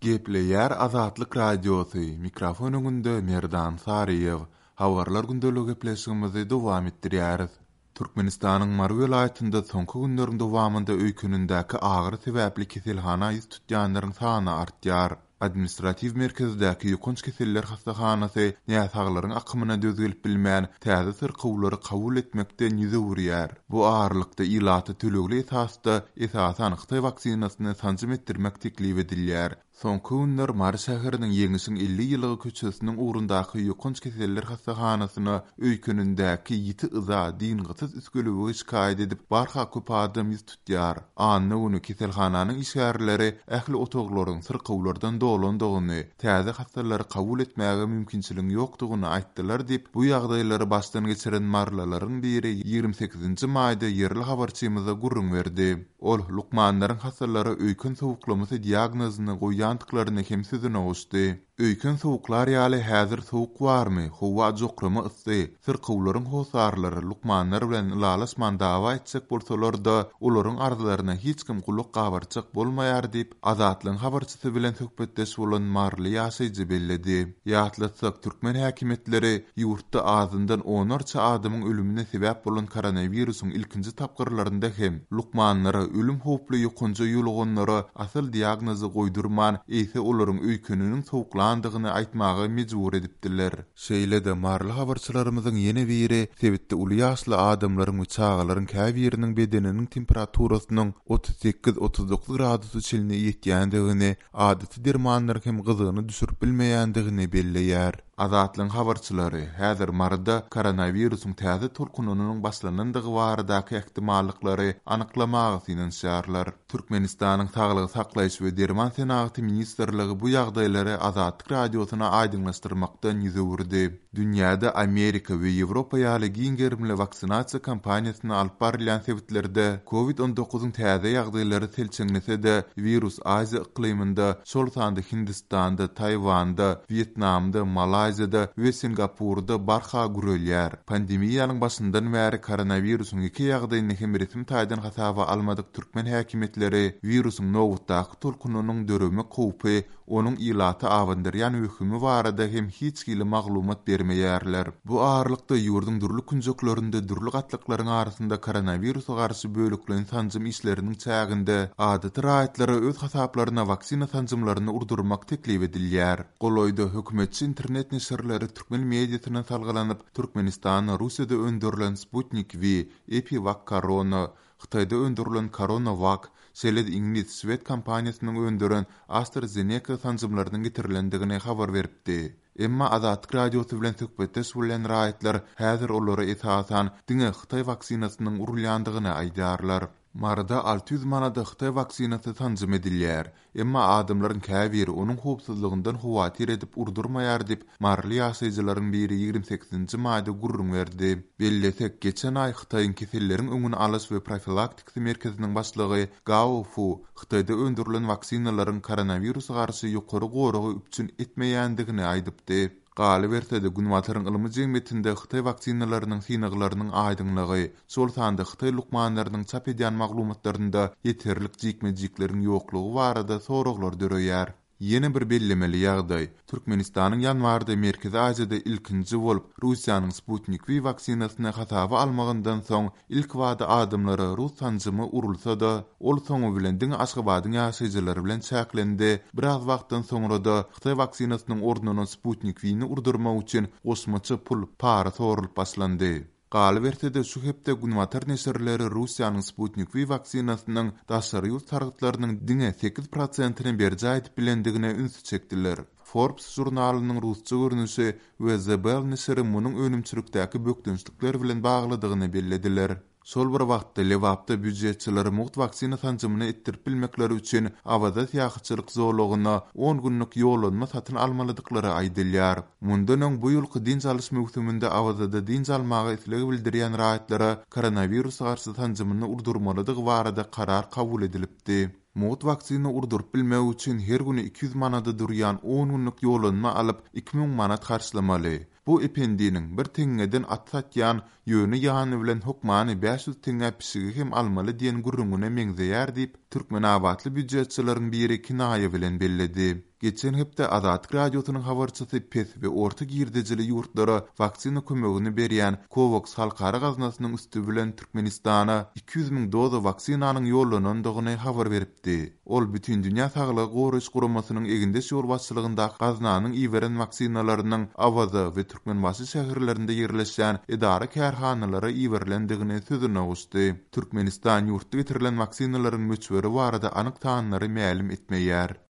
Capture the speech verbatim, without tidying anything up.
Gepleýär Azatlyk Radiosy, mikrofon öňünde Merdan Saryýew. Habarlar gündeligi gepleşigimizi dowam etdirýäris. Türkmenistanyň Mary welaýatynda soňky günleriň dowamynda öýkenindäki agyry sebäpli keselhana ýüz tutýanlaryň sany artýar. Administratiw merkezdäki ýokanç keseller hassahanasy näsaglaryň akymyna döz gelip bilmän, täze syrkawlary kabul etmekden ýüz öwürýär. Bu aralykda ilata tölegli esasda esasan hytaý waksinasyny sanjym etdirmek teklip edilýär. Soňky günler Mary şäheriniň Ýeňişiň elli ýyllygy köçesiniň ugrundaky ýokanç keseller hassahanasyna öýkenindäki ýiti yza, dyngysyz üsgülewügi şikaýat edip, barha köp adam ýüz tutýar. Anna güni keselhananyň işgärleri ähli otaglaryň syrkawlardan dolandygyny, täze hassalary kabul etmäge mümkinçiligiň ýokdugyny aýtdylar diýip, bu ýagdaýlary başdan geçiren marylylaryň biri ýigrimi sekizinji maýda ýerli habarçymyza gürrüň berdi. Ol lukmanlaryň hassalara öýken sowuklamasy diagnozyny goýýandyklaryny hem sözüne goşdy. Öýken sowuklar ýaly häzir sowuk barmy, howa jokrama yssy, syrkawlaryň hossarlary lukmanlar bilen ylalaşman dawa etjek bolsalar-da, olaryň arzlaryna hiç kim gulak gabartjak bolmaýar diýip, Azatlygyň habarçysy bilen söhbetdeş bolan maryly ýaşaýjy belledi. Ýatlatsak, türkmen häkimiýetleri ýurtda azyndan onlarça adamyň ölümine sebäp bolan koronawirusyň ilkinji tapgyrlarynda hem lukmanlara ölüm howply ýokanja ýoluganlara asyl diagnozy goýdurman, eýse olaryň öýkeniniň sowuklandygyny aýtmaga mejbur edipdiler. Şeýle-de maryly habarçylarymyzyň ýene biri sebitde uly ýaşly adamlaryň we çagalaryň käbiriniň bedeniniň temperaturasynyň otuz sekiz-otuz dokuz gradusa çenli ýetýändigini, adaty dermanlaryň hem gyzygyny düşürip bilmeýändigini belleýär. Azatlygyň habarçylary häzir Maryda koronawirusyň täze tolkunynyň başlanandygy baradaky ähtimallyklary anyklamaga synanyşýarlar. Türkmenistanyň Saglygy saklaýyş we derman senagaty ministrligi bu ýagdaýlary Azatlyk Radiosyna aýdyňlaşdyrmakdan ýüz öwürdi. Dünýäde Amerika we Ýewropa ýaly giň gerimli waksinasiýa kampaniýasyny alyp barylýan sebitlerde Covid on dokuzyň täze ýagdaýlary selçeňlese-de, wirus Aziýa yklymynda, şol sanda Hindistanda, Taýwanda, Wýetnamda, Malaýziýada we Singapurda barha gürelýär. Pandemiýanyň başyndan bäri koronawirusyň iki ýagdaýyny hem resmi taýdan hasaba almadyk türkmen häkimiýetleri wirusyň nobatdaky tolkunynyň döremek howpy, onuň ilata abandyrýan wehimi barada hem hiç hili maglumat bermeýärler. Bu aralykda ýurduň dürli künjeklerinde dürli gatlaklaryň arasynda koronawirusa garşy bölekleýin sanjym işleriniň çäginde adaty raýatlara öz hasaplaryna waksina sanjymlaryny urdurmak teklip edilýär. Golaýda hökümetçi internet neşirleri türkmen mediasyna salgylanyp, Türkmenistanda Russiýada öndürilen Sputnik V, EpiVac Corona, Hytaýda öndürilen CoronaVac, şeýle-de iňlis, şwed kompaniýasynyň öndüren AstraZeneca sanjymlarynyň getirilendigini habar beripdi. Emma Azatlyk Radiosy bilen söhbetdeş bolýan raýatlar häzir olara esasan diňe Hytaý waksinasynyň urulýandygyny aýdýarlar. Maryda alty ýüz manada Hytaý waksinasy sanjym edilýär. Emma adamlaryň käbiri onuň howpsuzlygyndan howatyr edip urdurmaýar diýip, maryly ýaşaýjylaryň biri ýigrimi sekizinji maýda gürrüň berdi. Bellesek, geçen aý Hytaýyň keselleriň öňüni alyş we profilaktikasy merkeziniň başlygy Gao Fu Hytaýda öndürilen waksinalaryň koronawirusa garşy ýokary goragy üpjün etmeýändigini aýdypdy. Galyberse-de, Günbataryň ylmy jemgyýetinde Hytaý waksinalarynyň synaglarynyň aýdyňlygy, şol sanda Hytaý lukmanlarynyň çap edýän maglumatlarynda ýeterlik jikme-jikleriň ýoklugy barada soraglar döreýär. Ýene bir bellemeli ýagdaý, Türkmenistanyň ýanwarda Merkezi Aziýada ilkinji bolup Russiýanyň Sputnik V waksinasyny hasaba almagyndan soň ilkibada adamlara rus sanjymy urulsa-da, ol soňy bilen diňe Aşgabadyň ýaşaýjylary bilen çäklendi, biraz wagtdan soňra-da Hytaý waksinasynyň ornuna Sputnik V-ni urdurmak üçin goşmaça pul, para sorulyp başlandy. Galyberse-de, şu hepde Günbatar neşirleri Russiýanyň Sputnik V waksinasynyň daşary ýurt sargytlarynyň diňe sekiz prosentini berjaý edip bilendigine ünsi çekdiler. Forbes žurnalynyň rusça görnüşi we The Bell neşiri munuň önümçilikdäki bökdençlikler bilen baglydygyny bellediler. Şol bir wagtda Lebapda býujetçileri mugt waksina sanjymyny etdirip bilmekleri üçin Awaza syýahatçylyk zolagyna on günlük ýollanma satyn almalydyklary aýdylýar. Mundan öň bu ýylky dynç alyş möwsüminde Awazada dynç almaga isleg bildirýän raýatlara koronawirusa garşy sanjymyny urdurmalydygy barada karar kabul edilipdi. Mugt waksina urduryp bilmek üçin her güni iki ýüz manada durýan on günlük ýollanma alyp iki müň manat harçlamaly. Bu ependiniň bir teňňeden at satýan, ýöne ýany bilen hökmany bäş ýüz teňňä pişigi hem almaly diýen gürrüňine meňzeýär diýip, türkmenabatly býujetçileriň biri kinaýa bilen belledi. Geçen hepde Azatlyk Radiosynyň habarçysy pes we orta girdejili ýurtlara waksina kömegini berýän COVAX halkara gaznasynyň üsti bilen Türkmenistana iki ýüz müň doza waksinanyň ýollanandygyny habar beripdi. Ol Bütindünýä saglygy goraýyş guramasynyň egindeş ýolbaşçylygyndaky gaznanyň iberen waksinalarynyň Awaza we Türkmenbaşy şäherlerinde ýerleşýän edara-kärhanalara iberilendigini sözüne goşdy. Türkmenistan ýurtda getirilen waksinalaryň möçberi barada anyk sanlary mälim etmeýär.